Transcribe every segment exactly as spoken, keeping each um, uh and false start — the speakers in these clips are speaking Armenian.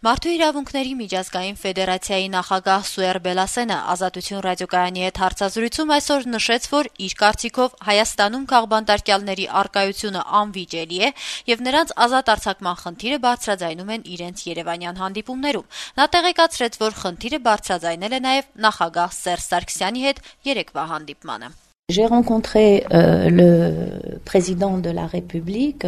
Մարդու իրավունքների միջազգային ֆեդերացիայի նախագահ Սուեր Բելասենը Ազատություն ռադիոկայանի հետ հարցազրույցում այսօր նշեց, որ իր կարծիքով Հայաստանում քաղբանտարկյալների առկայությունը անվիճելի է եւ նրանց ազատ արձակման խնդիրը բարձրաձայնում են իրենց երևանյան հանդիպումներում։ Նա տեղեկացրեց, որ խնդիրը բարձրաձայնել է նաեւ նախագահ Սերժ Սարգսյանի հետ երեկվա հանդիպմանը։ J'ai rencontré euh, le président de la République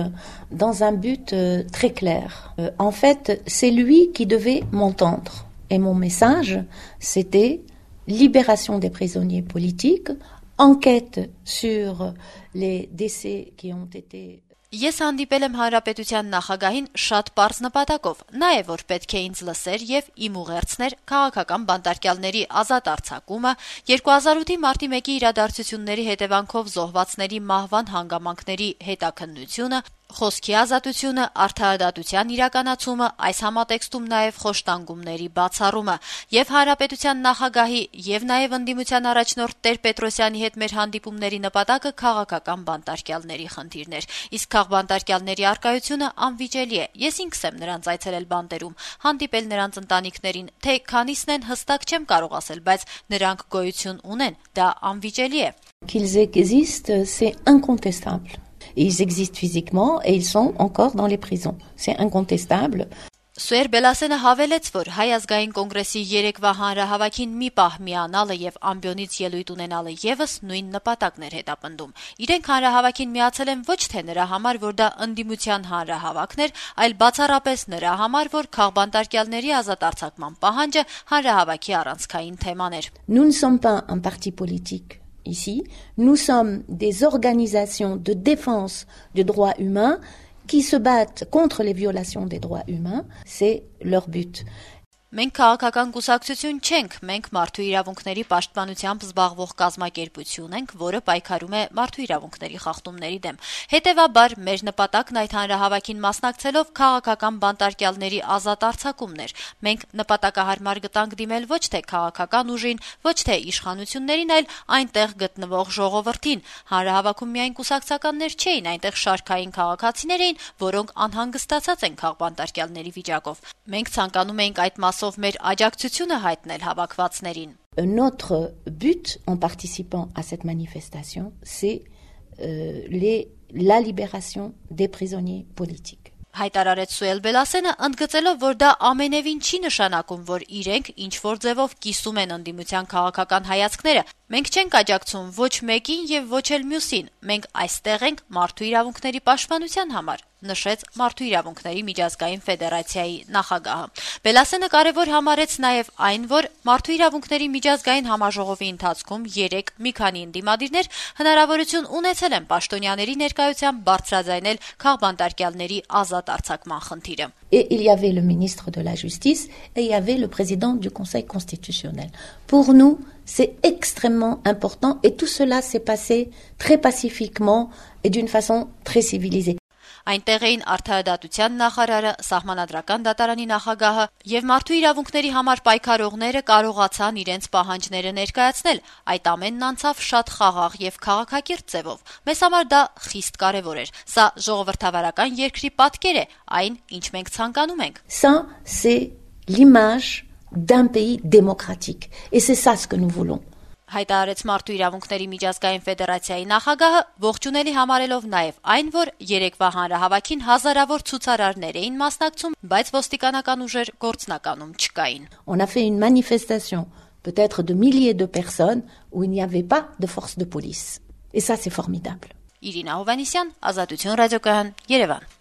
dans un but euh, très clair. Euh, en fait, c'est lui qui devait m'entendre. Et mon message, c'était libération des prisonniers politiques, enquête sur les décès qui ont été... Ես հանդիպել եմ Հանրապետության նախագահին շատ պարզ նպատակով, նաև որ պետք է ինձ լսեր եւ իմ ուղերձներ քաղաքական բանտարկյալների ազատ արձակումը, երկու հազար ութի մարտի մեկի իրադարձությունների հետևանքով զոհվածների մահվան հանգամանքների հետաքննությունը, խոսքի ազատությունը, արդարադատության իրականացումը, այս համատեքստում նաև խոշտանգումների բացառումը եւ Հանրապետության նախագահի եւ նաև ընդդիմության առաջնորդ Տեր-Պետրոսյանի հետ մեր հանդիպումների նպատակը քաղաքական բանտարկյալների խնդիրն էր։ Իսկ քաղբանտարկյալների առկայությունը անվիճելի է։ Ես ինքս եմ նրանց այցելել բանտերում, հանդիպել նրանց ընտանիքներին, թե քանիսն են հստակ չեմ կարող ասել, բայց նրանք գոյություն ունեն, դա անվիճելի է։ Qu'ils existent, c'est incontestable. Ils existent physiquement et ils sont encore dans les prisons. C'est incontestable. Սուեր Բելասենը հավելեց, որ Հայ ազգային կոնգրեսի երեկվա հանրահավաքին մի պահ միանալը եւ ամբիոնից ելույթ ունենալը եւս նույն նպատակն էր հետապնդում։ Իրենք հանրահավաքին միացել են ոչ թե նրա համար, որ դա ընդդիմության հանրահավաքն էր, այլ բացառապես նրա համար, որ քաղբանտարկյալների ազատ արձակման պահանջը հանրահավաքի առանցքային թեման էր։ Nous ne sommes pas un parti politique. Ici, nous sommes des organisations de défense des droits humains qui se battent contre les violations des droits humains, c'est leur but. Մենք քաղաքական կուսակցություն չենք, մենք մարդու իրավունքների պաշտպանությամբ զբաղվող կազմակերպություն ենք, որը պայքարում է մարդու իրավունքների խախտումների դեմ։ Հետևաբար, մեր նպատակն այդ հանրահավաքին մասնակցելով քաղաքական բանտարկյալների ազատ արձակումն էր։ Մենք նպատակահարմար գտանք դիմել ոչ թե քաղաքական ուժին, ոչ թե իշխանություններին, այլ այնտեղ գտնվող ժողովրդին։ Հանրահավաքում միայն կուսակցականներ չէին, այնտեղ շարքային քաղաքացիներ էին, որոնք անհանգստացած են քաղբանտարկյալների վիճակով։ Մենք ցանկանում էինք այդ մասով մեր աջակցությունը հայտնել հավաքվածներին։ Notre but en participant à cette manifestation, c'est euh, les, la libération des prisonniers politiques. Հայտարարեց Սուեր Բելասենը, ընդգծելով, որ դա ամենևին չի նշանակում, որ իրենք ինչ-որ ձևով կիսում են ընդդիմության քաղաքական հայացքները։ Մենք չենք աջակցում ոչ մեկին եւ ոչ էլ մյուսին։ Մենք այստեղ ենք մարդու իրավունքների պաշտպանության համար, նշեց Մարդու իրավունքների միջազգային ֆեդերացիայի նախագահը։ Բելասենը կարևոր համարեց նաև այն, որ Մարդու իրավունքների միջազգային համաժողովի ընթացքում երեք մի քանի ընդդիմադիրներ հնարավորություն ունեցել են պաշտոնյաների ներկայությամբ բարձրաձայնել քաղբանտարկյալների ազատ արձակման խնդիրը։ Et il y avait le ministre de la Justice et il y avait le président du Conseil constitutionnel. Pour nous, c'est extrêmement important et tout cela s'est passé très pacifiquement et d'une façon très civilisée. Այնտեղ էին արդարադատության նախարարը, սահմանադրական դատարանի նախագահը եւ մարդու իրավունքների համար պայքարողները կարողացան իրենց պահանջները ներկայացնել։ Այդ ամենն անցավ շատ խաղաղ եւ քաղաքակիրթ ձևով։ Մեզ համար դա խիստ կարեւոր էր։ Սա ժողովրդավարական երկրի պատկեր է, այն, ինչ մենք ցանկանում ենք։ Ça, c'est l'image d'un pays démocratique et c'est ça ce que nous voulons. Հայտարարեց Մարդու իրավունքների միջազգային ֆեդերացիայի նախագահը, ողջունելի համարելով նաև այն, որ երեկվա հանրահավաքին հազարավոր ցուցարարներ էին մասնակցում, բայց ոստիկանական ուժեր գործնականում չկային։ On a fait une manifestation, peut-être de milliers de personnes, où il n'y avait pas de force de police. Et ça, c'est formidable. Իրինա Հովհաննիսյան, Ազատություն ռադիոկայան, Երևան։